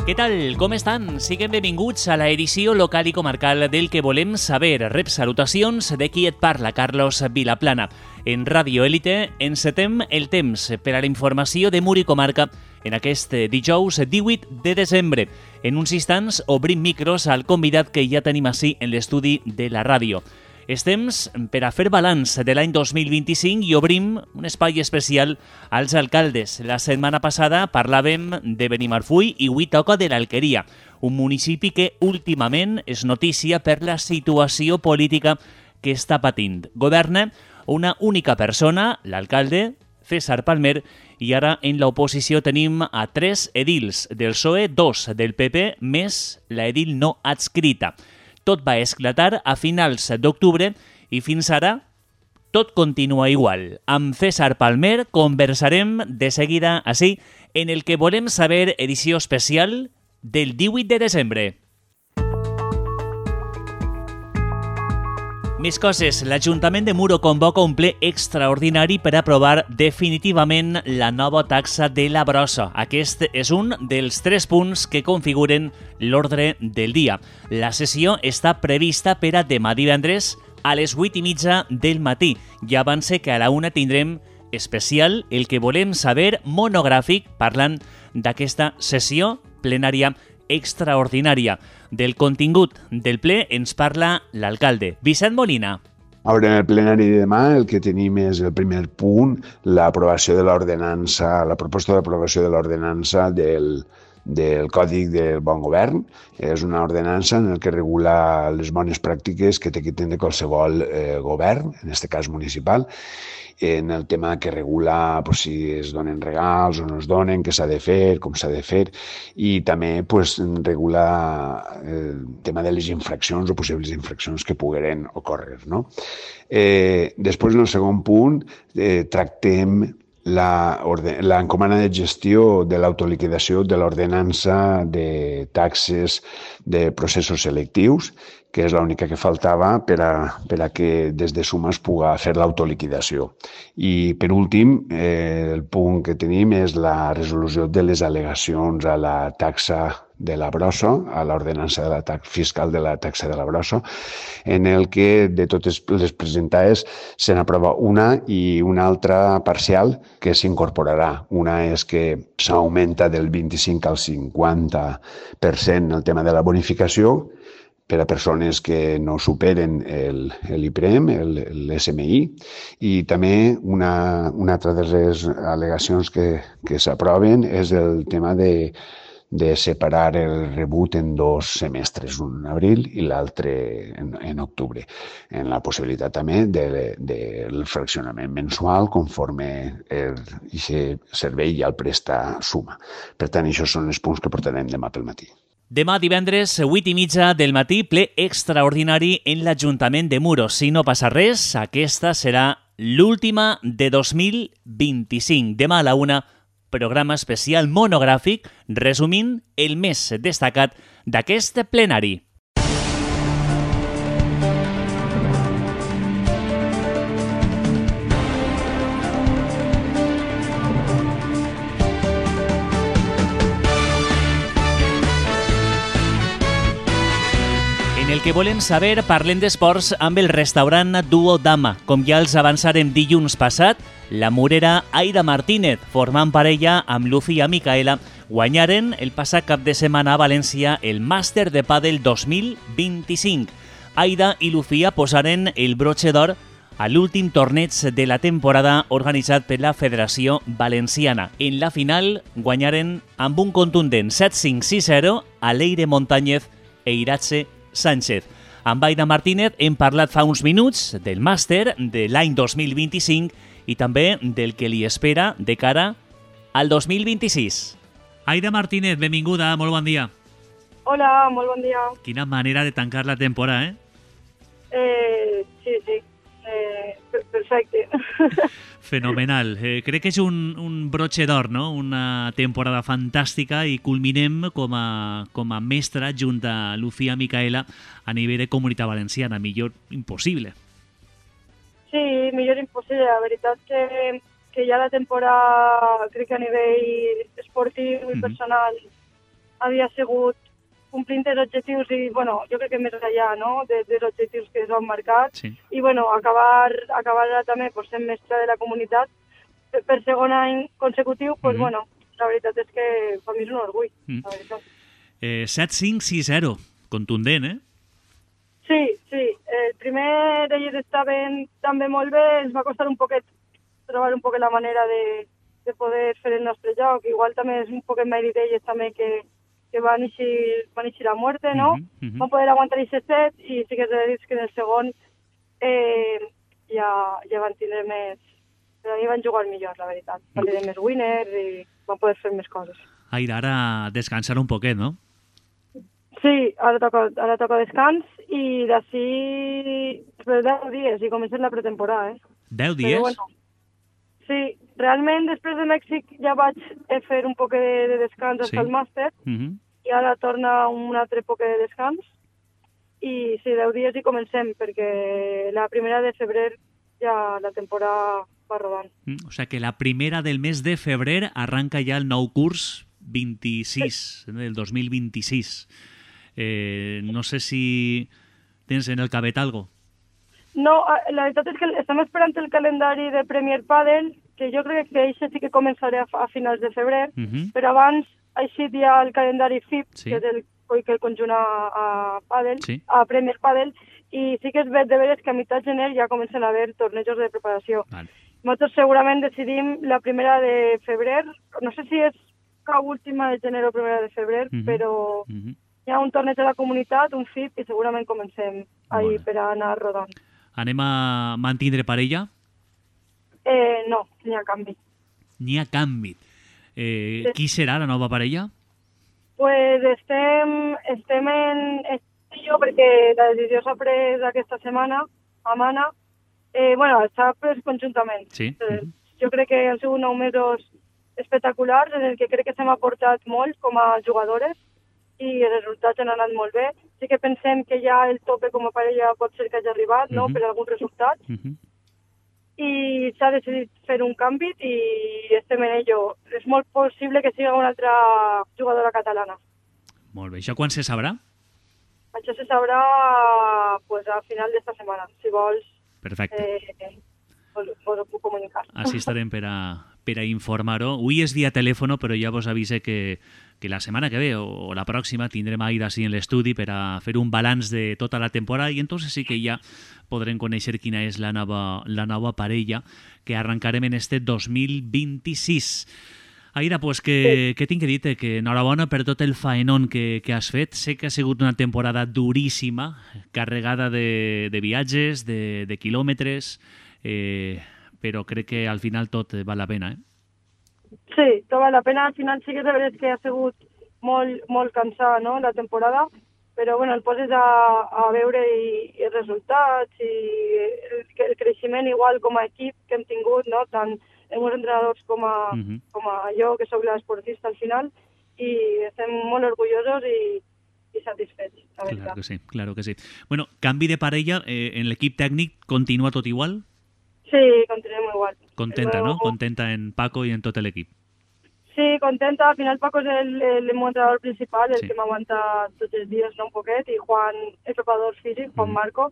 Què tal? Com estan? Siguem benvinguts a la edició local i comarcal del que volem saber. Rep salutacions de qui et parla, Carlos Vilaplana. En Ràdio Élite encetem el temps per a la informació de Mur i Comarca en aquest dijous 18 de desembre. En uns instants obrim micros al convidat que ja tenim ací en l'estudi de la ràdio. És temps per a fer balanç de l'any 2025 i obrim un espai especial als alcaldes. La setmana passada parlàvem de Benimarfull i avui toca de l'Alqueria, un municipi que últimament és notícia per la situació política que està patint. Governa una única persona, l'alcalde, César Palmer, i ara en l'oposició tenim a 3 edils del PSOE, 2 del PP, més la edil no adscrita. Tot va esclatar a finals d'octubre i fins ara tot continua igual. Amb César Palmer conversarem de seguida ací en el que volem saber edició especial del 18 de desembre. Més coses. L'Ajuntament de Muro convoca un ple extraordinari per aprovar definitivament la nova taxa de la brossa. Aquest és un dels 3 punts que configuren l'ordre del dia. La sessió està prevista per a demà divendres a les 8:30 del matí. Ja avance que a la 1 tindrem especial el que volem saber monogràfic parlant d'aquesta sessió plenària extraordinària. Del contingut del ple ens parla l'alcalde Vicent Molina. A veure, en el plenari de demà el que tenim és el primer punt, l'aprovació de l'ordenança, la proposta d'aprovació de l'ordenança del Còdic del Bon Govern. És una ordenança en què regula les bones pràctiques que té que tindre qualsevol govern, en aquest cas municipal, en el tema que regula si es donen regals o no es donen, què s'ha de fer, com s'ha de fer, i també regula el tema de les infraccions o possibles infraccions que pogueren ocórrer. Després, en el segon punt, tractem l'encomana de gestió de l'autoliquidació de l'ordenança de taxes de processos selectius, que és l'única que faltava per a que des de Suma es pugui fer l'autoliquidació. I, per últim, el punt que tenim és la resolució de les al·legacions a la taxa de la brossa, a l'ordenança de la fiscal de la taxa de la brossa, en el que de totes les presentades se n'aprova una i una altra parcial que s'incorporarà. Una és que s'augmenta del 25 al 50% el tema de la bonificació per a persones que no superen l'IPREM, l'SMI, i també una altra de les al·legacions que s'aproven és el tema de separar el rebut en 2 semestres, un en abril i l'altre en octubre, en la possibilitat també del fraccionament mensual conforme aquest servei ja el presta Suma. Per tant, això són els punts que portarem demà pel matí. Demà divendres, 8:30 del matí, ple extraordinari en l'Ajuntament de Muro. Si no passa res, aquesta serà l'última de 2025. Demà a la 1, programa especial monogràfic resumint el més destacat d'aquest plenari. En el que volem saber, parlem d'esports amb el restaurant Duo Dama. Com ja els avançarem dilluns passat, la murera Aida Martínez, formant parella amb Lucía Micaela, guanyaren el passat cap de setmana a València el Màster de Pàdel 2025. Aida i Lucía posaren el brotxe d'or a l'últim torneig de la temporada organitzat per la Federació Valenciana. En la final guanyaren amb un contundent 7-5-6-0 a Leire Montañez e Iratxe Sánchez. Amb Aida Martínez hem parlat fa uns minuts del màster de l'any 2025 i també del que li espera de cara al 2026. Aida Martínez, benvinguda, molt bon dia. Hola, molt bon dia. Quina manera de tancar la temporada, Sí. Perfecte. Fenomenal. Crec que és un brotxe d'or, no? Una temporada fantàstica i culminem com a mestra junt a Lucía Micaela a nivell de Comunitat Valenciana. Millor impossible. Sí, millor impossible. La veritat que ja la temporada, crec que a nivell esportiu i personal havia sigut complint els objectius i, bueno, jo crec que més enllà, no?, dels objectius que s'han marcat. Sí. I, bueno, acabar ara també pues, sent mestra de la comunitat per segon any consecutiu, pues, bueno, la veritat és que per mi és un orgull, la veritat. 7-5-6-0, contundent, eh? Sí. El primer d'ells estaven també molt bé, ens va costar un poquet trobar un poquet la manera de poder fer el nostre joc. Igual també és un poquet mèrit d'ells també que van eixir la muerte, no? Van poder aguantar aquest set i sí que és de dir que en el segon ja van tindre més... Però a mi van jugar millor, la veritat. Van tenir més winners i van poder fer més coses. Ara descansar un poquet, no? Sí, ara toca descans i d'ací 10 dies i comencem la pretemporada, 10 dies? Però, bueno, sí, realment després de Mèxic ja vaig fer un poc de descans fins al màster i ara torna un altre poc de descans i sí, 10 dies i comencem perquè la primera de febrer ja la temporada va rodant. O sigui que la primera del mes de febrer arranca ja el nou curs 26, del 2026. No sé si tens en el cabet algo. No, la veritat és que estem esperant el calendari de Premier Padel, que jo crec que això sí que començaré a finals de febrer, però abans ha eixit ja el calendari FIP, que és el conjunt a Padel, a Premier Padel, i sí que és de veres que a meitat de gener ja comencen a haver tornejos de preparació. Nosaltres segurament decidim la primera de febrer, no sé si és cap última de gener o primera de febrer, però hi ha un torneig a la comunitat, un FIP, i segurament comencem ahir per anar rodant. Anem a mantindre parella? No, n'hi ha canvi. N'hi ha canvi. Qui serà la nova parella? Pues estem en jo perquè la decisió s'ha pres aquesta setmana a Mana. Bueno, s'ha pres conjuntament. Sí. Jo crec que han sigut 9 mesos espectaculars en el que crec que s'hem aportat molt com a jugadores i els resultats han anat molt bé. Sí que pensem que ja el tope com a parella pot ser que hagi arribat, no?, per algun resultat. I s'ha decidit fer un canvi i estem en ello. És molt possible que sigui una altra jugadora catalana. Molt bé. Això quan se sabrà? Això se sabrà pues, a final d'esta setmana. Si vols, vos ho puc comunicar. Així estarem per a informar-ho. Avui és via telèfono, però ja vos avise que la setmana que ve o la pròxima tindrem a Aida en l'estudi per a fer un balanç de tota la temporada i entonces sí que ja podrem conèixer quina és la nova parella que arrencarem en este 2026. Aida, pues que tinc que dir-te que enhorabona per tot el faenón que has fet. Sé que ha sigut una temporada duríssima, carregada de viatges, de quilòmetres, però crec que al final tot val la pena, Sí, tot val la pena. Al final sí que és veritat que ha sigut molt cansada, no?, la temporada, però bueno, el poses a veure i els resultats i el creixement igual com a equip que hem tingut, no?, tant els meus entrenadors com a jo, que sóc l'esportista al final, i estem molt orgullosos i satisfets, la veritat. Claro que sí. Bueno, canvi de parella, en l'equip tècnic continua tot igual? Sí, continuem igual. Contenta, ¿no? Contenta en Paco y en tot l'equip. Sí, contenta. Al final Paco és el meu entrenador principal, el que m'aguanta tots els dies, no, un poquet, i Juan, el preparador físic, Juan Marco,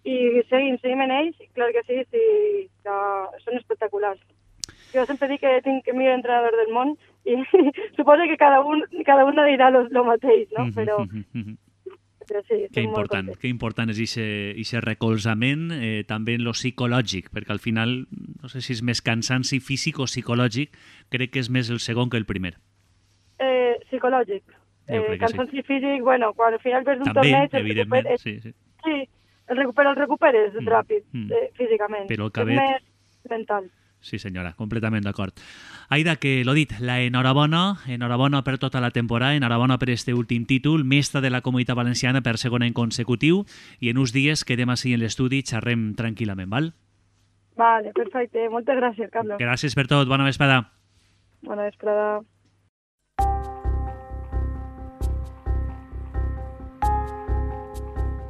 i seguim en ells, clar que sí, són espectaculars. Jo sempre dic que tinc el millor entrenador del món i suposo que cada un dirà lo mateix, no? Però sí, que important és aquest recolzament, també en lo psicològic, perquè al final, no sé si és més cansanci físic o psicològic, crec que és més el segon que el primer. Psicològic. Cansanci físic, bueno, quan al final ves un torneig... També, evidentment, sí. Sí, el recuperes ràpid, físicament. Però el cabet... És més mental. Sí, senyora, completament d'acord. Aida, que l'ho dit, la enhorabona per tota la temporada, enhorabona per este últim títol, mestra de la Comunitat Valenciana per segon any consecutiu, i en uns dies quedem així en l'estudi i xerrem tranquil·lament, val? Vale, perfecte. Moltes gràcies, Carlos. Gràcies per tot. Bona vesprada. Bona vesprada.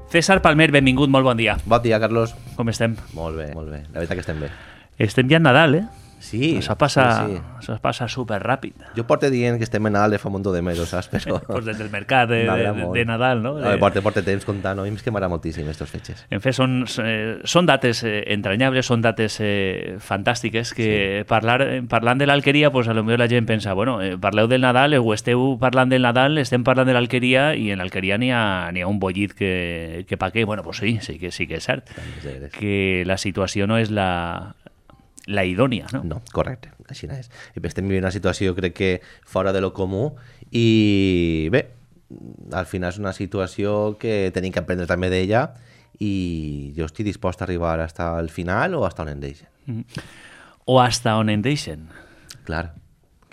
César Palmer, benvingut, molt bon dia. Bon dia, Carlos. Com estem? Molt bé, molt bé. La veritat que estem bé. Estem ja en Nadal, Sí, Això passa superràpid. Jo porto dient que estem en Nadal de fa un munt de mesos, saps? Però... pues des del mercat de Nadal, no? Porta temps comptant, no? I que m'agrada moltíssim aquestes fetges. En fet, són dates entranyables, són dates fantàstiques, que parlant de l'Alqueria, pues, a lo millor la gent pensa, bueno, parleu del Nadal, o esteu parlant del Nadal, estem parlant de l'Alqueria, i en l'Alqueria n'hi ha un bollit que pa què? Bueno, pues sí que és cert, que la situació no és la idònia, no? No, correcte, així és. Estem vivint una situació, crec que, fora de lo comú, i bé, al final és una situació que tenim que aprendre també d'ella, i jo estic dispost a arribar hasta el final o hasta on en deixen. O hasta on en deixen. Clar,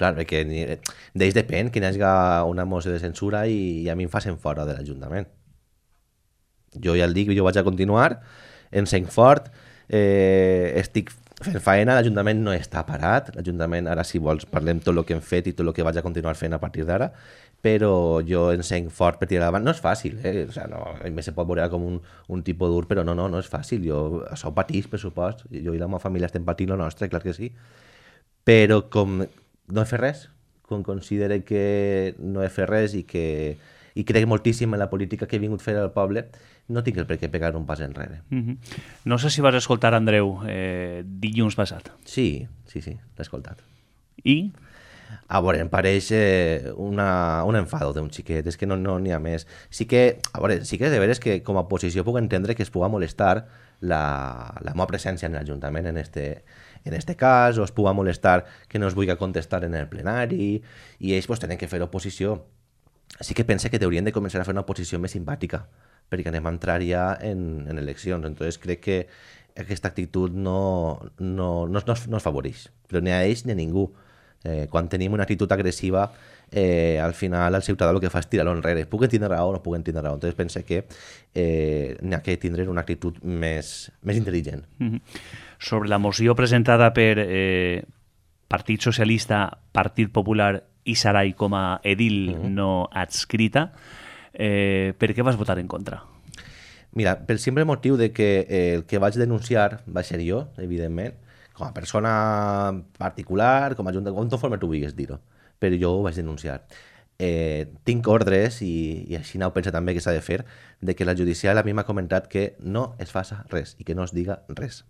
perquè d'ells depèn que hi hagi una moció de censura i a mi em facin fora de l'Ajuntament. Jo ja el dic, jo vaig a continuar, encenc fort, estic fent faena, l'Ajuntament no està parat, l'Ajuntament, ara si vols parlem tot el que hem fet i tot el que vaig a continuar fent a partir d'ara, però jo encenc fort per tirar davant. No és fàcil, o sigui, no, a mi se pot veure com un tipus dur, però no és fàcil. Això ho patís, per supost, jo i la meva família estem patint lo nostre, clar que sí, però com no he fet res, com considere que no he fet res i crec moltíssim en la política que he vingut a fer al poble, no tinc el per què pegar un pas enrere. No sé si vas escoltar Andreu dilluns passat. Sí, l'he escoltat. I? A veure, em pareix un enfado d'un xiquet, és que no n'hi ha més. Sí que és de veres que com a oposició puc entendre que es puga molestar la meva presència en l'Ajuntament en este cas, o es puga molestar que no es vulgui contestar en el plenari, i ells tenen que fer oposició. Sí que pense que haurien de començar a fer una oposició més simpàtica, perquè anem a entrar ja en eleccions. Entonces crec que aquesta actitud no es favoreix, però ni a ells ni a ningú. Quan tenim una actitud agressiva, al final el ciutadà el que fa és tirar-lo enrere. Puc tindre raó o no puc tindre raó. Entonces pense que n'hi ha que tindre una actitud més intel·ligent. Sobre la moció presentada per Partit Socialista, Partit Popular i Sarai com a edil no adscrita, per què vas votar en contra? Mira, pel simple motiu de que el que vaig denunciar va ser jo, evidentment, com a persona particular, com a junta, com forma tu vulguis dir-ho, però jo ho vaig denunciar. Tinc ordres, i així ho pensa també que s'ha de fer, de que la judicial a mi m'ha comentat que no es faça res i que no es diga res.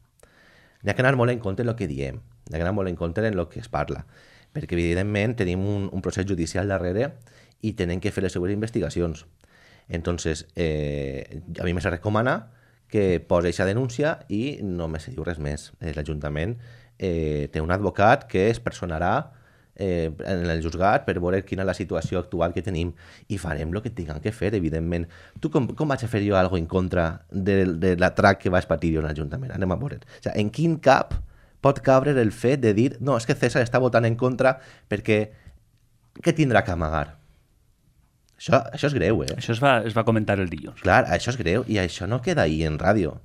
N'hi ha que anar molt en compte en el que diem, n'hi ha que anar molt en compte en el que es parla, perquè evidentment tenim un procés judicial darrere i tenen que fer les seues investigacions. Entonces, a mi me se recomana que posi aquesta denúncia i no me se diu res més. L'Ajuntament té un advocat que es personarà en el juzgat per veure quina és la situació actual que tenim i farem el que tinguem que fer, evidentment. Tu com vaig a fer jo alguna cosa en contra de l'atrac que vaig patir jo en l'Ajuntament? Anem a veure. O sigui, en quin cap pot cabre el fet de dir no, és que César està votant en contra perquè què tindrà que amagar? Això és greu, Això es va comentar el dilluns. Clar, això és greu i això no queda ahí en ràdio.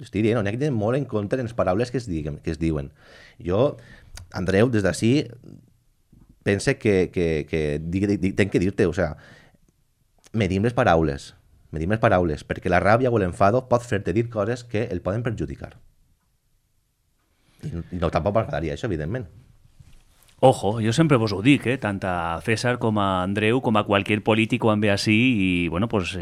Estic dient, n'hi ha que tenir molt en compte en les paraules que es diuen. Jo, Andreu, des d'ací, pense que tenc que dir-te, o sigui, medim les paraules, perquè la ràbia o l'enfado pot fer-te dir coses que el poden perjudicar. I no tampoc m'agradaria això, evidentment. Ojo, jo sempre vos ho dic, tant a César com a Andreu, com a qualsevol polític quan ve així, i bueno, pues,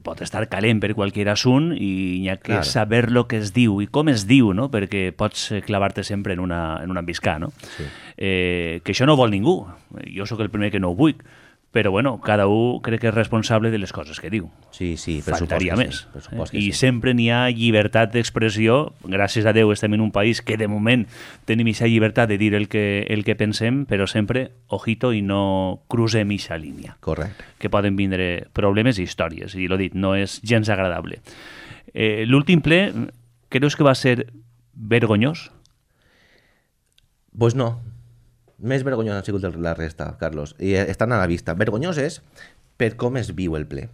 pot estar calent per qualsevol assunt i hi ha que saber lo que es diu i com es diu, no? Perquè pots clavar-te sempre en una embiscà, no? Sí. Que això no vol ningú, jo sóc el primer que no ho vull, però bueno, cada un crec que és responsable de les coses que diu. Sí, faltaria més. I sempre n'hi ha llibertat d'expressió. Gràcies a Déu estem en un país que de moment tenim aquesta llibertat de dir el que pensem, però sempre, ojito, i no crucem aquesta línia. Correcte. Que poden vindre problemes i històries, i l'ho dit, no és gens agradable. L'últim ple, creus que va ser vergonyós? Pues no. Més vergonyós ha sigut la resta, Carlos, i estan a la vista. Vergonyós és per com es viu el ple.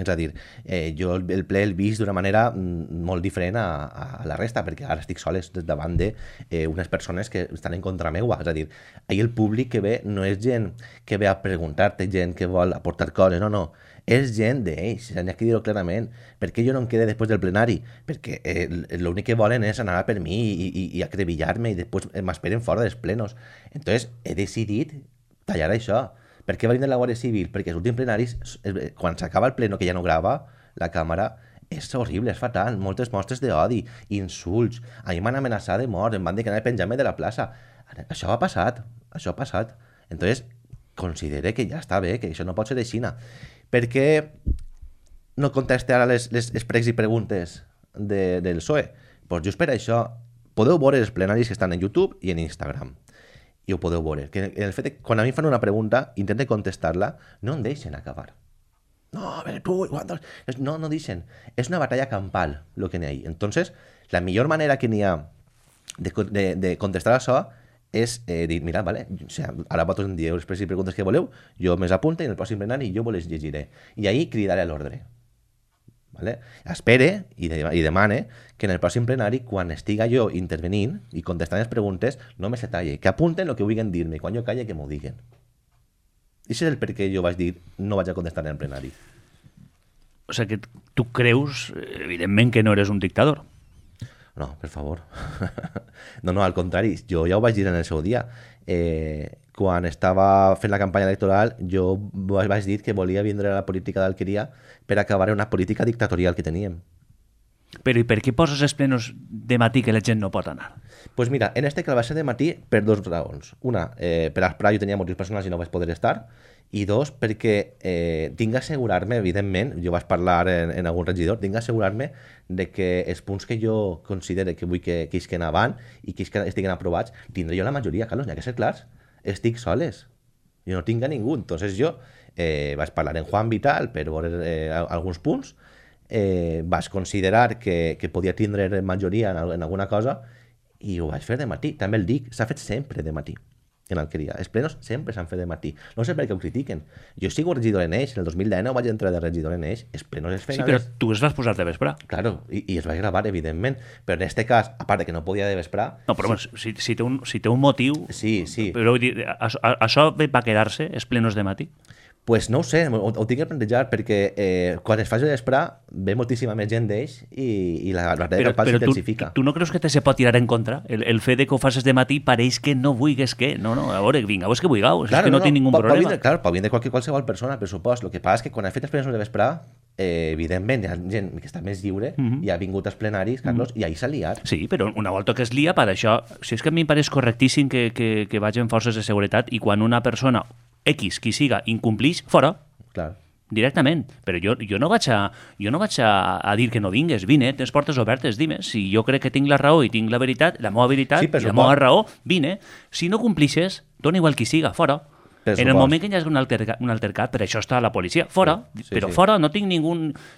És a dir, jo el ple el vist d'una manera molt diferent a la resta, perquè ara estic soles davant d'unes persones que estan en contra meua. És a dir, ahir el públic que ve no és gent que ve a preguntar-te, gent que vol aportar coses, no. És gent d'ells, n'hi ha que dir-ho clarament. Per què jo no em quede després del plenari? Perquè l'únic que volen és anar per mi i acrebillar-me i després m'esperen fora dels plenos. Entonces, he decidit tallar això. Per què va vindre la Guàrdia Civil? Perquè els últims plenaris, quan s'acaba el pleno, que ja no grava la càmera, és horrible, és fatal, moltes mostres d'odi, insults, a mi m'han amenaçat de mort, em van dir que anava a penjar-me de la plaça. Això ha passat. Entonces, considere que ja està bé, que això no pot ser així. Per què no conteste ara les pregs i preguntes del PSOE? Pues just per això, podeu veure els plenaris que estan en YouTube i en Instagram. I ho podeu veure. Que el fet que quan a mi fan una pregunta, intente contestar-la, no em deixen acabar. No, a veure, tu, no deixen. És una batalla campal, el que n'hi ha. Entonces, la millor manera que n'hi ha de contestar això és dir, mira, vale, o sea, ara vosaltres em dieu les preguntes que voleu, jo me apunte i en el pròxim plenari jo vos les llegiré. I ahir cridaré a l'ordre. Vale? Espere i demane que en el pròxim plenari, quan estiga jo intervenint i contestant les preguntes, no me se talle, que apunten el que vulguin dir-me, quan jo calle que m'ho diguen. I això és el per què jo vaig dir no vaig a contestar en el plenari. O sigui que tu creus, evidentment, que no eres un dictador. No, per favor. No, al contrari, jo ja ho vaig dir en el seu dia. Quan estava fent la campanya electoral, jo vaig dir que volia vindre a la política d'Alqueria per acabar una política dictatorial que teníem. Però i per què poses els plenos de matí que la gent no pot anar? Pues mira, en este que va ser de matí per dos raons. Una, per esperar jo tenia motius personals i no vaig poder estar, i dos, perquè tinc d'assegurar-me, evidentment, jo vaig parlar en algun regidor, tinc d'assegurar-me de que els punts que jo considere que vull que isquen avant i que estiguen aprovats, tindré jo la majoria, Carlos, n'hi ha que ser clars. Estic soles. Jo no tinc a ningú. Entonces jo vaig parlar en Juan Vital per veure alguns punts, vaig considerar que podia tindre majoria en alguna cosa i ho vaig fer de matí. També el dic, s'ha fet sempre de matí en Alqueria. Els plenos sempre s'han fet de matí. No sé per què ho critiquen. Jo sigo regidor en Eix, en el 2019 vaig entrar de regidor en Eix, els plenos es feien... Sí, però tu es vas posar de vespre. Claro, i es va gravar, evidentment. Però en este cas, a part de que no podia de vespre... No, però sí. si té un motiu... Sí. Però vull dir, això va quedar-se, els plenos de matí? Pues no ho sé, ho tinc que plantejar perquè quan es faci l'esprà ve moltíssima més gent d'ells i la batalla campal s'intensifica. Però tu no creus que te se pot tirar en contra? El fet de que ho facis de matí pareix que no vulguis que... No, a veure, vinga, vos que vulgueu, és que no tinc ningú problema. Pot vindre qualsevol persona, per supost. El que passa és que quan has fet els plenaris de vesprà, evidentment, hi ha gent que està més lliure i ha vingut als plenaris, Carlos, i ahir s'ha liat. Sí, però una volta que es lia, per això... Si és que a mi em pareix correctíssim que vagin forces de seguretat i quan una persona X, qui siga, incomplix, fora. Clar. Directament. Però jo no vaig a dir que no vingues. Vine, tens portes obertes, dime. Si jo crec que tinc la raó i tinc la veritat, la meva veritat i la meva raó, vine. Si no complixes, dona igual qui siga, fora. En el moment que hi hagi un altercat, per això està la policia, fora, però fora no tinc ningú...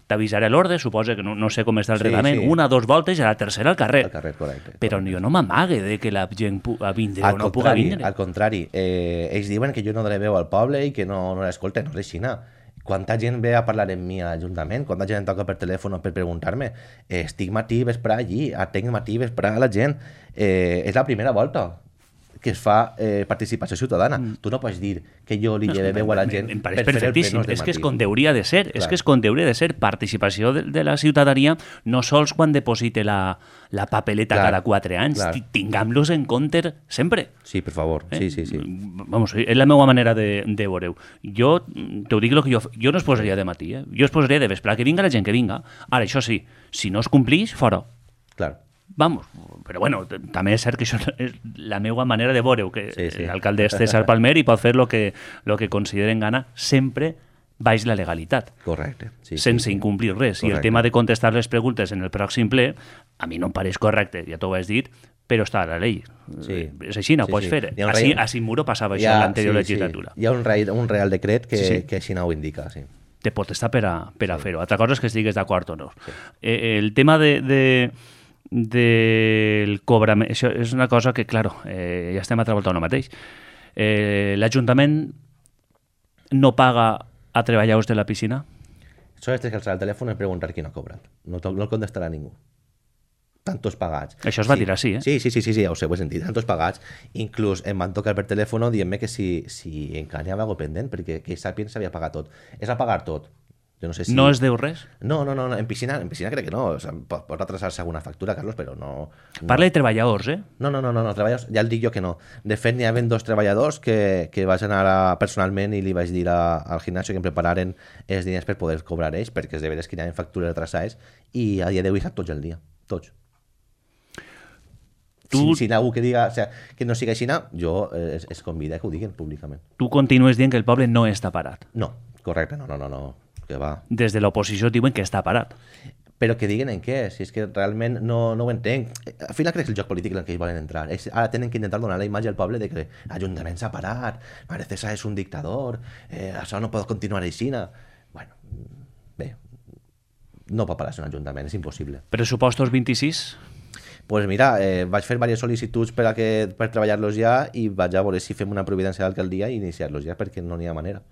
T'avisaré l'ordre, suposa que no sé com està el reglament, una, 2 voltes i a la tercera al carrer. Correcte. Però jo no m'amague de que la gent puga vindre o no puga vindre. Al contrari, ells diuen que jo no donaré veu al poble i que no l'escolten, no és així. Quanta gent ve a parlar amb mi a l'Ajuntament, quanta gent em toca per telèfon per preguntar-me. Estic matí vesprà allí, atenc matí vesprà a la gent. És la primera volta que es fa participació ciutadana. Tu no pots dir que jo li lleve veu a la gent per fer el plenos de matí. És que és com hauria de ser. És que és com hauria de ser participació de la ciutadania, no sols quan deposite la papeleta cada 4 anys. Tinguem-los en compte sempre. Sí, per favor. Sí. Vamos, és la meva manera de veure-ho. Jo t'ho dic el que jo no es posaria de matí. Jo es posaria de vespre. Que vinga la gent, que vinga. Ara, això sí, si no es complix, fora. Clar. Vamos, però bueno, també és cert que això és la meva manera de veure-ho, que l'alcalde és César Palmer i pot fer el que consideren gana sempre baix la legalitat. Correcte. Sense incomplir res. Correcte. I el tema de contestar les preguntes en el pròxim ple, a mi no em pareix correcte, ja t'ho has dit, però està a la llei. És així, no ho pots fer. A Simuro passava això en l'anterior legislatura. Hi ha un real decret que així no ho indica, sí. Te pot estar per a fer-ho. Altra cosa és que estigues d'acord o no. El tema del cobrament, això és una cosa que, claro, ja estem a treballar el mateix. L'Ajuntament no paga a treballadors de la piscina? Solo tens que alçar el telèfon i preguntar qui no ha cobrat. No el contestarà ningú. Tantos pagats. Això es va dir així, Sí, ja ho sé, ho he sentit. Tantos pagats. Inclús em van tocar per telèfon dient-me que si encara n'hi havia alguna pendent, perquè que sàpien s'havia pagat tot. És a pagar tot. Jo no sé si... No es deu res? No, en piscina crec que no. O sea, pot retrasar-se alguna factura, Carlos, però no... Parla de treballadors, eh? No, treballadors, ja el dic jo que no. De fet, n'hi havia 2 treballadors que vaig anar personalment i li vaig dir al gimnasio que em prepararen els diners per poder cobrar ells, perquè és de veres que hi havia factures retrasades i a dia d'avui sap tots el dia. Tots. Si algú que diga que no sigui així, jo es convida que ho diguin públicament. Tu continues dient que el poble no està parat. No, correcte, no. Que va. Des de l'oposició diuen que està parat. Però que diguen en què, si és que realment no ho entenc. Al final crec que és el joc polític en què ells volen entrar. Ara tenen que intentar donar la imatge al poble de que l'Ajuntament s'ha parat, María César és un dictador, això no pot continuar així. Bueno, bé, no pot parar-se un ajuntament, és impossible. Pressupostos 26? Pues mira, vaig fer diverses sol·licituds per treballar-los ja i vaig a veure si fem una providència d'alcaldia i iniciar-los ja, perquè no n'hi ha manera.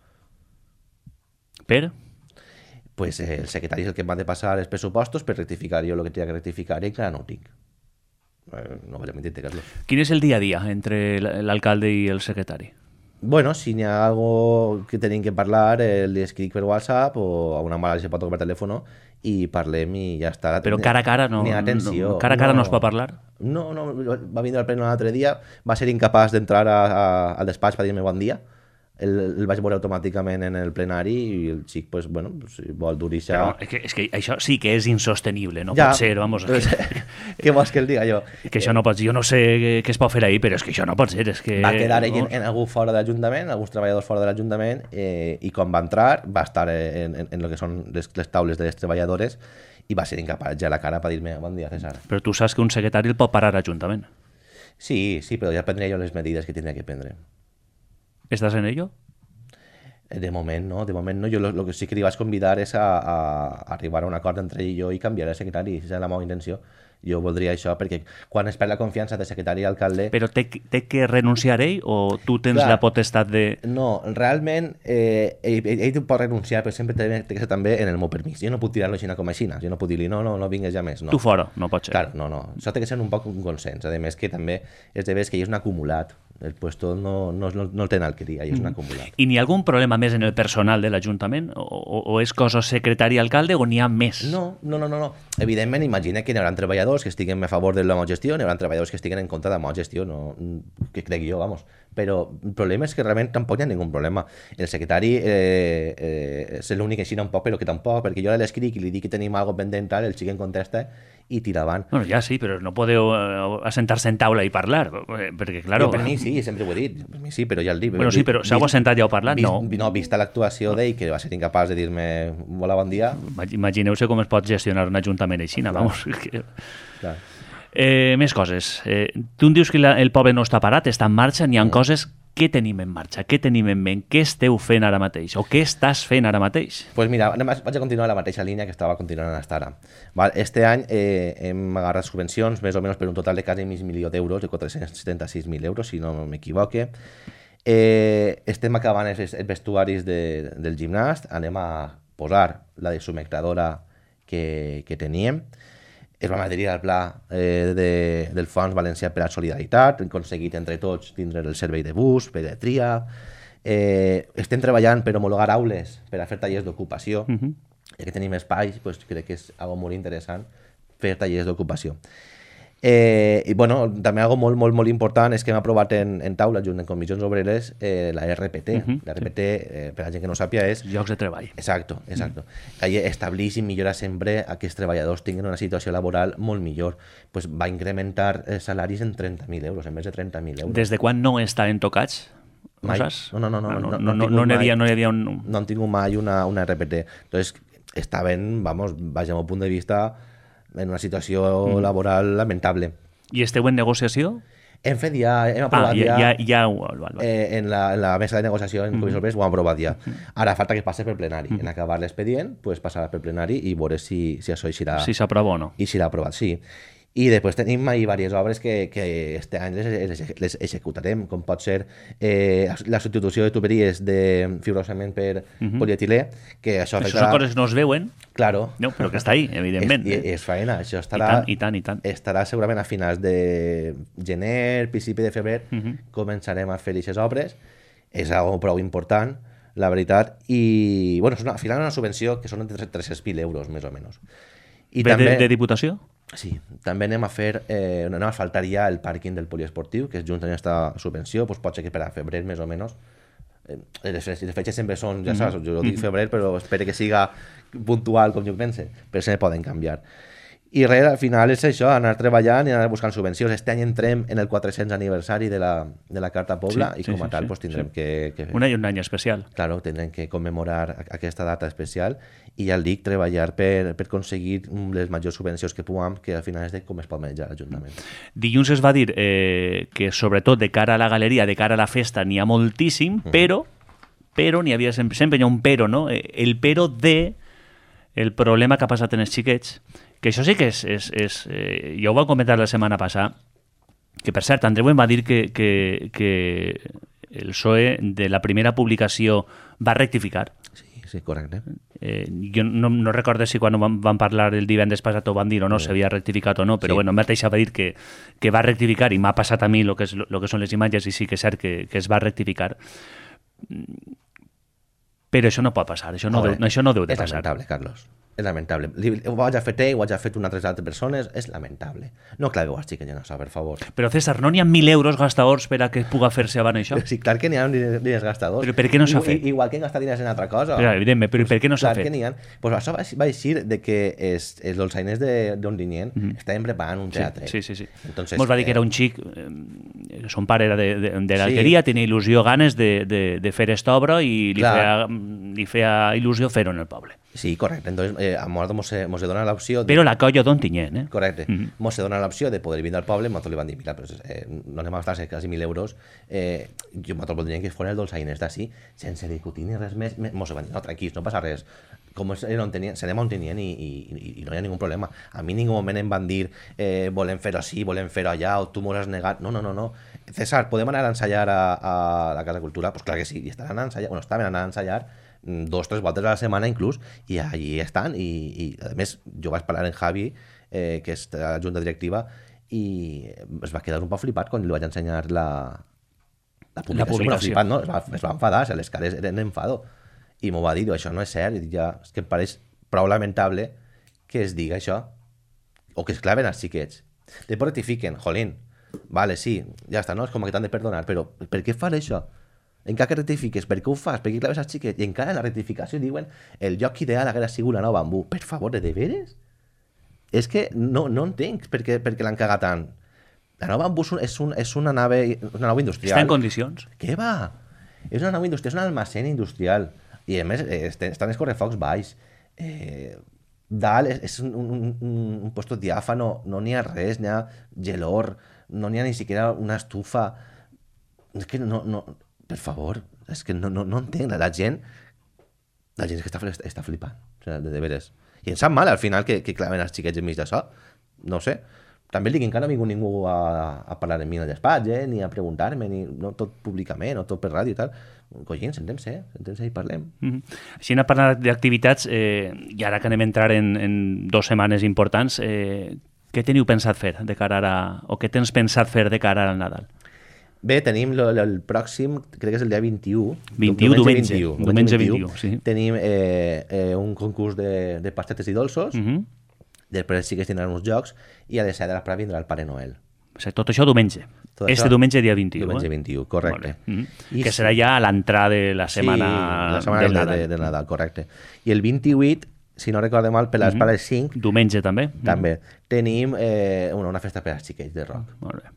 Per? Pues el secretari és el que em va de passar els pressupostos per rectificar jo el que tenia que rectificar i encara no ho tinc. No vaig a mentir-te, Carlos. Quin és el dia a dia entre l'alcalde i el secretari? Bueno, si n'hi ha algo que tenim que parlar, li escric per WhatsApp o a una mala se pot tocar per telèfon i parlem i ja està. Però cara a cara no? Ni atenció. Cara a cara no es pot parlar? No, va vindre al pleno l'altre dia, va ser incapaç d'entrar al despatx per dir-me bon dia. El vaig veure automàticament en el plenari i el xic, pues, bueno, si vol dur-hi-se... És que això sí que és insostenible, no pot ser, vamos. Què vols que el diga jo? Que això no pot ser, jo no sé què es pot fer ahir, però és que això no pot ser, és que... Va quedar ell en algú fora de l'Ajuntament, alguns treballadors fora de l'Ajuntament, i quan va entrar va estar en el que són les taules de les treballadores i va ser incapaç ja la cara per dir-me bon dia, César. Però tu saps que un secretari el pot parar a l'Ajuntament. Sí, però ja prendré jo les medides que tindria que prendre. ¿Estás en ello? De moment no. Jo lo que sí que li vaig convidar és a arribar a un acord entre ell i jo i canviar el secretari, si és la meva intenció. Jo voldria això, perquè quan es perd la confiança de secretari i alcalde... Però té que renunciar ell o tu tens la potestat de... No, realment ell pot renunciar, però sempre té que ser també en el meu permís. Jo no puc tirar-lo així com així, jo no puc dir-li no vingues ja més. No. Tu fora, no pot ser. Claro, no. Això té que ser un poc un consens. A més que també és de veres que hi és un acumulat. El puesto no el tenen alqueria, és un acumulat. I n'hi ha algun problema més en el personal de l'Ajuntament? O és cosa secretari i alcalde o n'hi ha més? No. Evidentment, imagina que n'hi haurà treballadors que estiguen a favor de la meva gestió, n'hi haurà treballadors que estiguen en contra de la meva gestió, que crec jo, vamos. Però el problema és que realment tampoc hi ha ningú problema. El secretari és l'únic que xina un poc, però que tampoc, perquè jo l'escric i li dic que tenim alguna cosa pendent, el xic en contesta i tira avant. Bueno, ja sí, però no podeu assentar-se en taula i parlar, perquè, claro... Per mi sí, sempre ho he dit, per mi sí, però ja el dic. Bueno, sí, però s'heu assentat ja o parlat? No. Vista l'actuació d'ell, que va ser incapaç de dir-me hola, bon dia... Imagineu-se com es pot gestionar un ajuntament així, vamos. Clar. Més coses. Tu em dius que el poble no està parat, està en marxa, n'hi ha coses... Què tenim en marxa? Què tenim en ment? Què esteu fent ara mateix? O què estàs fent ara mateix? Pues mira, vaig a continuar la mateixa línia que estava continuant fins ara. Este any hem agarrat subvencions més o menys per un total de quasi mig milió d'euros, de 476.000 euros, si no m'equivoque. Estem acabant els vestuaris del gimnàs, anem a posar la desumectadora que teníem. Es va adherir al pla del Fons Valencià per a la Solidaritat, hem aconseguit entre tots tindre el servei de bus, pediatria, estem treballant per homologar aules per a fer tallers d'ocupació, ja que tenim espais, pues, crec que és algo molt interessant fer tallers d'ocupació. I bueno, també algo molt important és que hem aprovat en taula, junt en comissions obreres, la RPT. La RPT, per a la gent que no sàpia, és... Llocs de treball. Exacto. Que estableix i millora sempre a que els treballadors tinguin una situació laboral molt millor. Pues va incrementar salaris en 30.000 euros, en més de 30.000 euros. Des de quan no estaven tocats? No saps? No hi havia un... No han tingut mai una RPT. Entonces, estaven, vaja, al punt de vista... en una situació laboral lamentable. I esteu en negociació? Hem fet ja, hem aprovat en la mesa de negociació en Comissió Obreres ho hem aprovat ja. Ara falta que passi per plenari. En acabar l'expedient, pues passarà per plenari i veure si això eixirà. Si s'aprova o no. I si l'ha aprovat, sí. I després tenim diverses obres que este any les executarem, com pot ser la substitució de tuberies de fibrosament per polietilè, que això afectarà... Això són coses que no es veuen, claro. No, però que està ahí, evidentment. És faena, això estarà... I tant. Estarà segurament a finals de gener, principi de febrer, començarem a fer aquestes obres. És algo prou important, la veritat, i bueno, al final una subvenció que són entre 300.000 euros, més o menys. I també... de Diputació? Sí, també anem a fer, anem a asfaltar ja el pàrquing del poliesportiu, que és junt amb aquesta subvenció, doncs pot ser que per a febrer més o menys. Les fetges sempre són, ja saps, jo dic febrer, però espero que siga puntual com jo pense, però se poden canviar. I res, al final és això, anar treballant i anar buscant subvencions. Este any entrem en el 400 aniversari de la Carta Pobla i com a tal tindrem que... Un any especial. Claro, tindrem que commemorar aquesta data especial i ja el dic, treballar per aconseguir les majors subvencions que puguem, que al final és de com es pot manejar l'Ajuntament. Dilluns es va dir que sobretot de cara a la galeria, de cara a la festa, n'hi ha moltíssim, però n'hi havia sempre hi ha un però, no? El però de el problema que ha passat en els xiquets, que això sí que és ja ho vam comentar la setmana passada, que per cert, Andreu em va dir que el PSOE de la primera publicació va rectificar. Sí, correcte. Jo no recordo si quan vam parlar el divendres passat ho van dir o no, s'havia rectificat o no, però bueno, mateix va dir que va rectificar i m'ha passat a mi el que són les imatges i sí que és cert que es va rectificar. Però això no pot passar, això no deu de passar. És lamentable, Carlos. És lamentable. Ho vaig a fer ho vaig a fer una altra persones, és lamentable. No claveu als xiquets en això, per favor. Però César, no n'hi ha 1.000 euros gastadors per a que puga fer-se abans això? Sí, clar que n'hi ha diners gastadors. Però per què no s'ha fet? Igual que gastar diners en altra cosa. Però, evidentment, però per què no s'ha fet? Clar que n'hi ha. Pues això va eixir de que els dolçainers d'Ontinyent estaven preparant un teatre. Sí. Entonces, mos va dir que era un xic, son pare era de l'Alqueria, tenia il·lusió, ganes de fer esta obra i li feia il·lusió fer-ho en el poble. Sí, correcte. Entonces, a nosaltres mos dona l'opció... Però la colla d'Ontinyent, eh? Correcte. Mos dona l'opció de poder vindre al poble, nosaltres li van dir, mira, però no anem a gastar quasi 1.000 euros, nosaltres voldríem que foren els dolçainers d'ací, sense discutir ni res més, mos van dir, no, tranquils, no passa res. Com serem a Ontinyent i no hi ha ningú problema. A mi en ningú moment em van dir volem fer-ho així, volem fer-ho allà, o tu m'ho has negat. No. César, podem anar a ensaiar a la Casa Cultura? Pues clar que sí, i estaven anant a ensaiar 2-3 voltes a la setmana inclús, i allí estan, i a més jo vaig parlar amb Javi, que és la junta directiva, i es va quedar un poc flipat quan li vaig ensenyar la publicació. Flipat, no? Es va enfadar, les cares eren d'enfado, i m'ho va dir, això no és cert, i ja, és que em pareix prou lamentable que es diga això, o que es claven els xiquets. Després rectifiquen, jolín, vale, sí, ja està, no? És com que t'han de perdonar, però per què fan això? Encara que rectifiques, per què ho fas? Per què claves als xiquets? I encara en la rectificació diuen el lloc ideal hauria sigut la Nova Bambú. Per favor, de veres? És que no entenc per què l'han cagat tant. La Nova Bambú és una nau industrial. Està en condicions? Què va? És una nau industrial, és un almacén industrial. I a més estan els correfocs baix. Dalt és un puesto diàfano, no n'hi ha res, n'hi ha gelor, no n'hi ha ni siquiera una estufa. És que no... Per favor, és que no entenc. La gent és que està flipant, o sigui, de veres. I em sap mal al final que claven els xiquets enmig d'això. No ho sé. També el dic, encara no ha vingut ningú a parlar amb mi en el despatx, ni a preguntar-me, no tot públicament, no tot per ràdio i tal. Collins, sentem-se i parlem. Així anem a parlar d'activitats, i ara que anem a entrar en 2 setmanes importants, què teniu pensat fer de cara a... o què tens pensat fer de cara al Nadal? Bé, tenim el pròxim, crec que és el dia 21. Diumenge 21, sí. Tenim un concurs de pastetes i dolços, després sí que es tindran uns jocs, i a les 7 de la vindrà el Pare Noel. O sigui, tot això diumenge. Diumenge dia 21. Diumenge 21, correcte. Que serà ja a l'entrada de la setmana del Nadal. Del Nadal, correcte. I el 28, si no recorde mal, per les 5... Diumenge també. També. Tenim una festa per als xiquets de rock. Molt bé.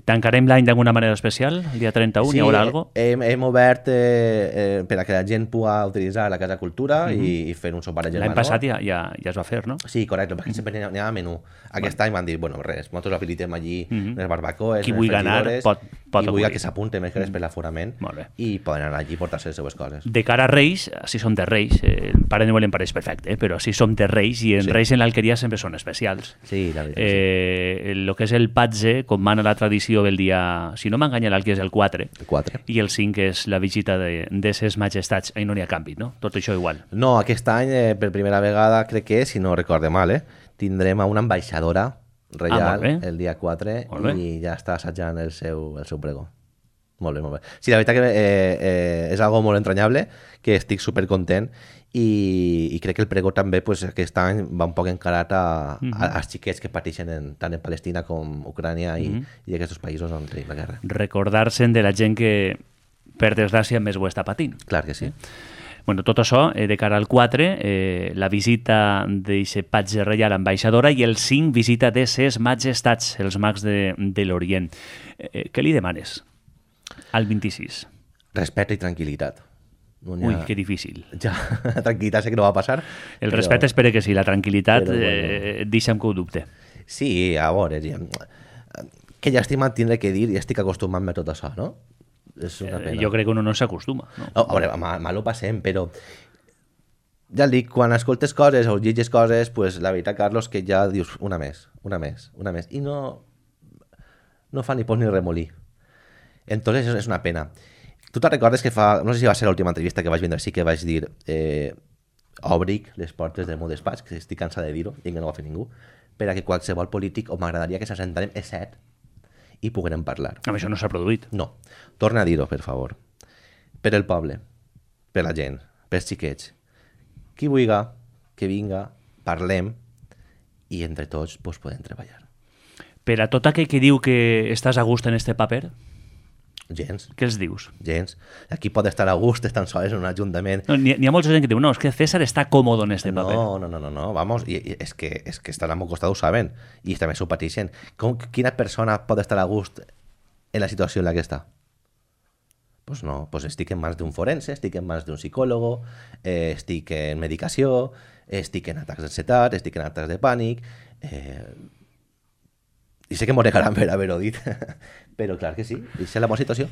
Tancarem l'any d'alguna manera especial? El dia 31 hi haurà alguna cosa? Hem obert per a que la gent pugui utilitzar la Casa Cultura i fer un sopar de germanor. L'any passat ja es va fer, no? Sí, correcte, perquè sempre n'hi ha menú. Aquest any van dir, bueno, res, nosaltres habilitem allí les barbacoes, qui vulgui anar i vull que s'apunten més que per l'aforament i poden anar allí i portar-se les seues coses. De cara a Reis, si som de Reis, el Pare Noel em pareix perfecte, però si som de Reis, i en Reis en l'Alqueria sempre són especials. Sí, la veritat. El que és el patge, com mana la tradició del dia, si no m'enganya l'Alqueria és el 4, i el 5 és la visita de ses majestats. Ahí no n'hi ha canvi, no? Tot això igual. No, aquest any, per primera vegada, crec que, si no recorde mal, tindrem a una ambaixadora reial el dia 4 i ja està assajant el seu pregó. Molt bé, molt bé. Sí, la veritat que és algo molt entranyable, que estic supercontent i crec que el pregó també aquest any va un poc encarat als xiquets que pateixen tant en Palestina com Ucrània i aquests països on tenim la guerra. Recordar-se'n de la gent que, per desgràcia, més ho està patint. Clar que sí. Bueno, tot això, de cara al 4, la visita d'aquest patge reial ambaixadora i el 5, visita de ses majestats, els mags de l'Orient. Què li demanes al 26? Respecte i tranquil·litat. Ui, que difícil. Ja, tranquil·litat sé que no va passar. El respecte espero que sí, la tranquil·litat deixa'm que ho dubte. Sí, a veure, que llàstima tindré que dir i estic acostumant-me a tot això, no? És una pena. Jo crec que uno no s'acostuma. No? A veure, mal ho passem, però ja el dic, quan escoltes coses o llegis coses, pues, la veritat, Carlos, que ja dius una més, i no fa ni pos ni remolí. Entonces és una pena. Tu te'n recordes que no sé si va ser l'última entrevista que vaig vindre, sí que vaig dir obric les portes del meu despatx, que estic cansat de dir-ho, i que no ho va fer ningú, per a que qualsevol polític, o m'agradaria que s'assentarem, és cert, i puguem parlar. Amb això no s'ha produït. No. Torna a dir-ho, per favor. Per el poble, per la gent, pels xiquets. Qui vulgui, que vinga, parlem i entre tots podem treballar. Per a tot aquell que diu que estàs a gust en este paper? Gens. Què els dius? Gens. Aquí pot estar a gust, estan sols en un ajuntament. No, n'hi ha molta gent que diu, no, és que César està còmodo en este paper. No, vamos, i és que estan al meu costat, ho saben, i també s'ho pateixen. Quina persona pot estar a gust en la situació en la que està? Pues no, pues estic en mans d'un forense, estic en mans d'un psicòlogo, estic en medicació, estic en atacs d'ansietat, estic en atacs de pànic, i sé que m'ho negaran per haver-ho dit, però clar que sí, és la meva situació.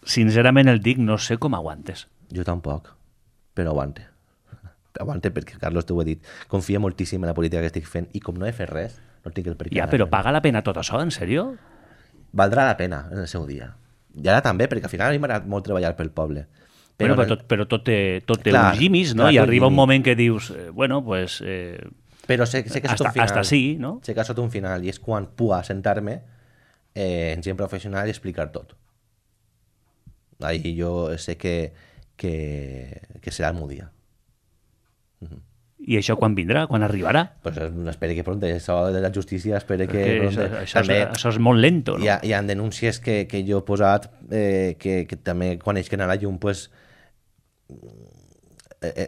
Sincerament el dic, no sé com aguantes. Jo tampoc, però aguante. Aguante perquè, Carlos, t'ho he dit, confia moltíssim en la política que estic fent i com no he fet res, no tinc el per què. Ja, però paga la pena tot això, en sèrio? Valdrà la pena en el seu dia. I ara també, perquè al final a mi m'ha agradat molt treballar pel poble. Però tot té uns llimis, no? I arriba un moment que dius, bueno, pues... Però sé que és un final. Hasta sí, no? Sé que és un final i és quan puc sentar-me en gent professional i explicar tot. Ahí jo sé que serà el meu dia. I això quan vindrà? Quan arribarà? Pues espero que pronto. Això de la justícia espero que pronto. Això és molt lento, no? Hi ha denúncies que jo he posat que també quan ells que anar a la llum pues,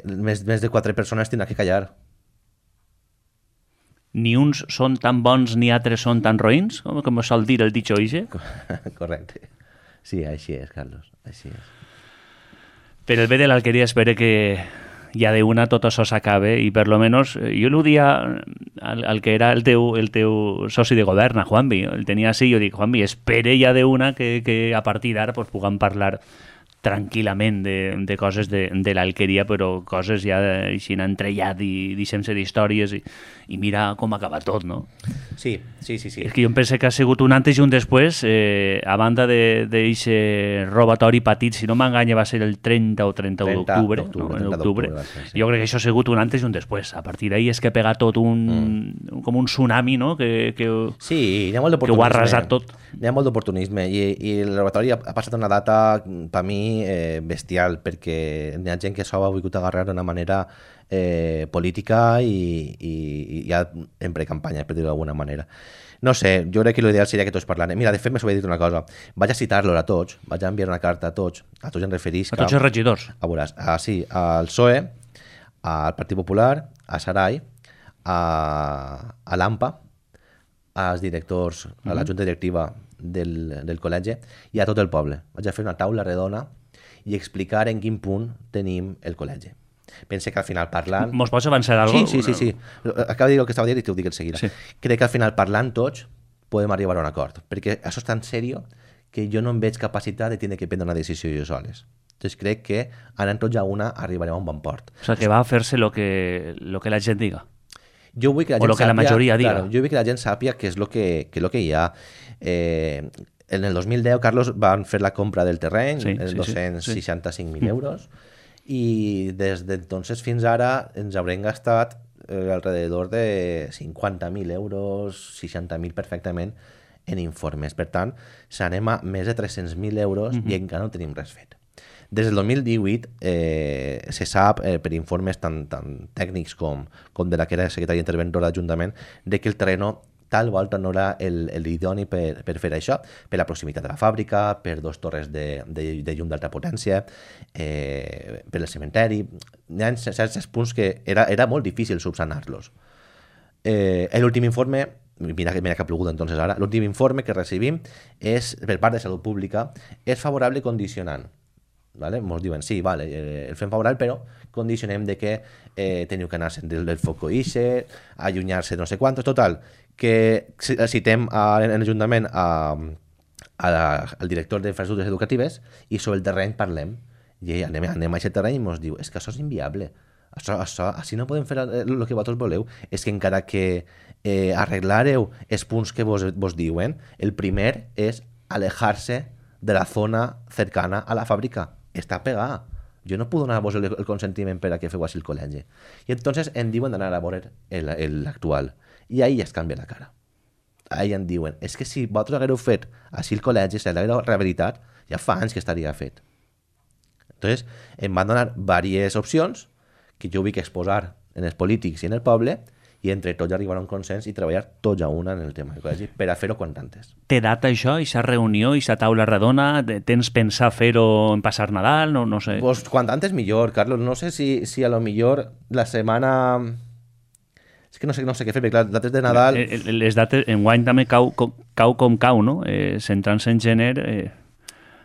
més de 4 persones tindrà que callar. Ni uns són tan bons ni altres són tan roïns, com sol dir el dicho ese? Correcte. Sí, així és, Carlos, així és. Per el bé de l'Alqueria espero que ja d'una tot això s'acabe i per lo menos, jo el dia al que era el teu soci de govern, a Juanvi, el tenia així, jo dic, Juanvi, espere ja d'una que a partir d'ara pues, puguem parlar tranquil·lament de coses de l'Alqueria, però coses ja així entrellat i deixem-se d'històries i mira com acaba tot, no? Sí. És que jo em penso que ha sigut un antes i un després, a banda d'aquest robatori patit, si no m'enganya va ser el 30 o 31 d'octubre, en octubre. Jo crec que això ha sigut un antes i un després. A partir d'ahir és que ha pegat tot com un tsunami, no? Sí, hi ha molt d'oportunisme. Que ho ha arrasat tot. Hi ha molt d'oportunisme i el robatori ha passat una data, per mi, bestial, perquè hi ha gent que s'ho ha volgut agarrar d'una manera política i ja en precampanya, per dir-ho d'alguna manera. No sé, jo crec que l'ideal seria que tots parlem. Mira, de fet, m'ho he dit una cosa. Vaig a citar-los a tots, vaig a enviar una carta a tots em referís... A tots els regidors. A veuràs, sí, al PSOE, al Partit Popular, a Sarai, a l'AMPA, als directors, a la junta directiva del col·legi i a tot el poble. Vaig a fer una taula redona i explicar en quin punt tenim el col·legi. Pense que al final parlant... Mos pots avançar alguna cosa? Sí. Acabo de dir el que estava dient i t'ho dic en seguida. Sí. Crec que al final parlant tots podem arribar a un acord. Perquè això és tan seriós que jo no em veig capacitat de tenir que prendre una decisió jo soles. Entonces crec que anant tots a una arribarem a un bon port. O sea, que va a fer-se lo que la gent diga. Jo vull que la gent o lo que la majoria diga. Claro, jo vull que la gent sàpia què és lo que hi ha. En el 2010, Carlos, van fer la compra del terreny, 265.000 euros, i des d'entonces fins ara ens haurem gastat alrededor de 50.000 euros, 60.000 perfectament, en informes. Per tant, s'anem a més de 300.000 euros i encara no tenim res fet. Des del 2018 se sap per informes tan tècnics com de la que era secretària interventora d'Ajuntament de que el terreno tal volta no era l'idoni per fer això, per la proximitat de la fàbrica, per 2 torres de llum d'alta potència, per el cementeri. Hi ha certs punts que era molt difícil subsanar-los. L'últim informe, mira que ha plogut entonces ara, l'últim informe que recibim és, per part de Salut Pública, és favorable condicionant. ¿Vale? Ens diuen, sí, vale, el fem favorable, però condicionem de que teniu que anar-se'n del foco ixe, allunyar-se de no sé quantos, total, que citem en l'Ajuntament al director d'infraestructures educatives i sobre el terreny parlem. I anem a aquest terreny i ens diu, és que això és inviable. Així no podem fer el que vosaltres voleu. És que encara que arreglareu els punts que vos diuen, el primer és alejar-se de la zona cercana a la fàbrica. Està pegada. Jo no puc donar-vos el consentiment per a que feu així el col·legi. I entonces em diuen d'anar a veure l'actual. I ahí ja es canvia la cara. Ahí em diuen, és que si vosaltres haguereu fet així el col·legi, si l'haguereu rehabilitat, ja fa anys que estaria fet. Entonces, em van donar diverses opcions que jo vull exposar en els polítics i en el poble, i entre tots arribar a un consens i treballar tots a una en el tema del col·legi per a fer-ho quant antes. Té data això, aquesta reunió, aquesta taula redona? Tens pensar fer-ho en passar Nadal? No sé. Pues quant antes millor, Carlos. No sé si a lo millor la setmana... És que no sé què fer, perquè les dates de Nadal... Les dates, enguany també cau com cau, no? Centrant-se en gener...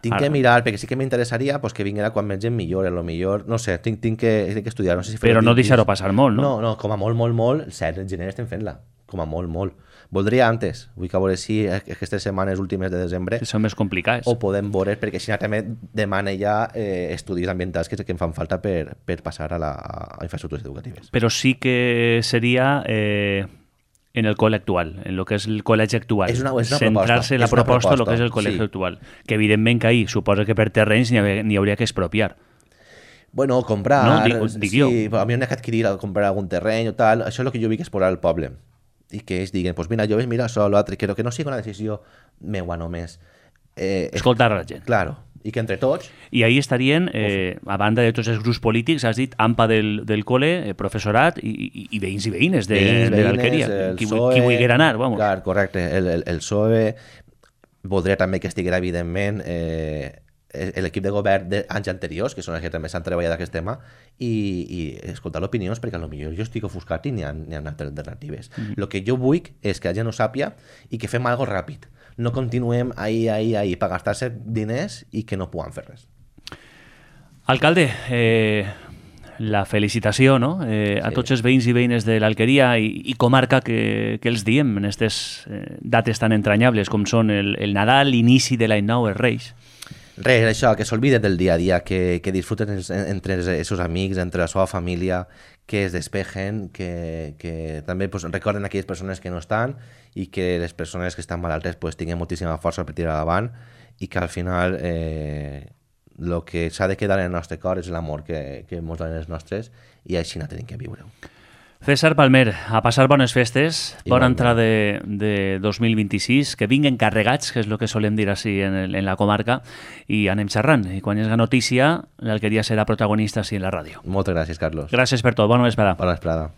Tinc que mirar, perquè sí que m'interessaria pues, que vinguera quan més gent millor, a lo millor, no sé, tinc que estudiar. No sé si però no deixar-ho passar molt, no? No, com a molt, el 7 de gener estem fent-la, com a molt. Voldria antes, vull que veure si aquestes setmanes últimes de desembre... Que són més complicades. O podem veure, perquè així també demana ja estudis ambientals que em fan falta per passar a infraestructures educatives. Però sí que seria... en el col·le actual, en lo que és el col·legi actual. És una centrar-se en la proposta de lo que és el col·legi actual. Que evidentment que ahir suposa que per terrenys n'hi hauria que expropiar. Bueno, comprar... No, dic jo. Sí, a mi n'hi ha que adquirir, comprar algun terreny o tal. Això és el que jo vull exposar al poble. I que ells diguen, pues mira, jo veig, mira això, l'altre, que no sigui una decisió meua només. Escoltar a la gent. Claro. I que entre tots... I ahí estarien, a banda de tots els grups polítics, has dit, AMPA del col·le, professorat i veïns i veïnes de l'Alqueria. Qui vulguera anar, vamos. Clar, correcte. El PSOE voldria també que estiguera, evidentment, l'equip de govern d'anys anteriors, que són els que també s'han treballat aquest tema, i escoltar opinions, perquè potser jo estic ofuscat i n'hi ha altres alternatives. El que jo vull és que la gent ho sàpia i que fem alguna cosa ràpid. No continuem ahí per gastar-se diners i que no puguem fer res. Alcalde, la felicitació, no? A tots els veïns i veïnes de l'Alqueria i comarca que els diem en aquestes dates tan entranyables com són el Nadal, l'inici de l'any nou, els Reis. Res, això, que s'olviden del dia a dia, que disfruten entre els seus amics, entre la seva família, que es despejen, que també pues, recorden aquelles persones que no estan i que les persones que estan malaltes pues, tinguin moltíssima força per tirar davant i que al final el que s'ha de quedar en el nostre cor és l'amor que ens donen els nostres i així no tenim que viure-ho. César Palmer, a passar bones festes, bona entrada de 2026, que vinguen carregats, que és el que solem dir així en la comarca, i anem xerrant. I quan hi hagi notícia, l'Alqueria serà protagonista així en la ràdio. Moltes gràcies, Carlos. Gràcies per tot. Bona vesprada. Bona vesprada.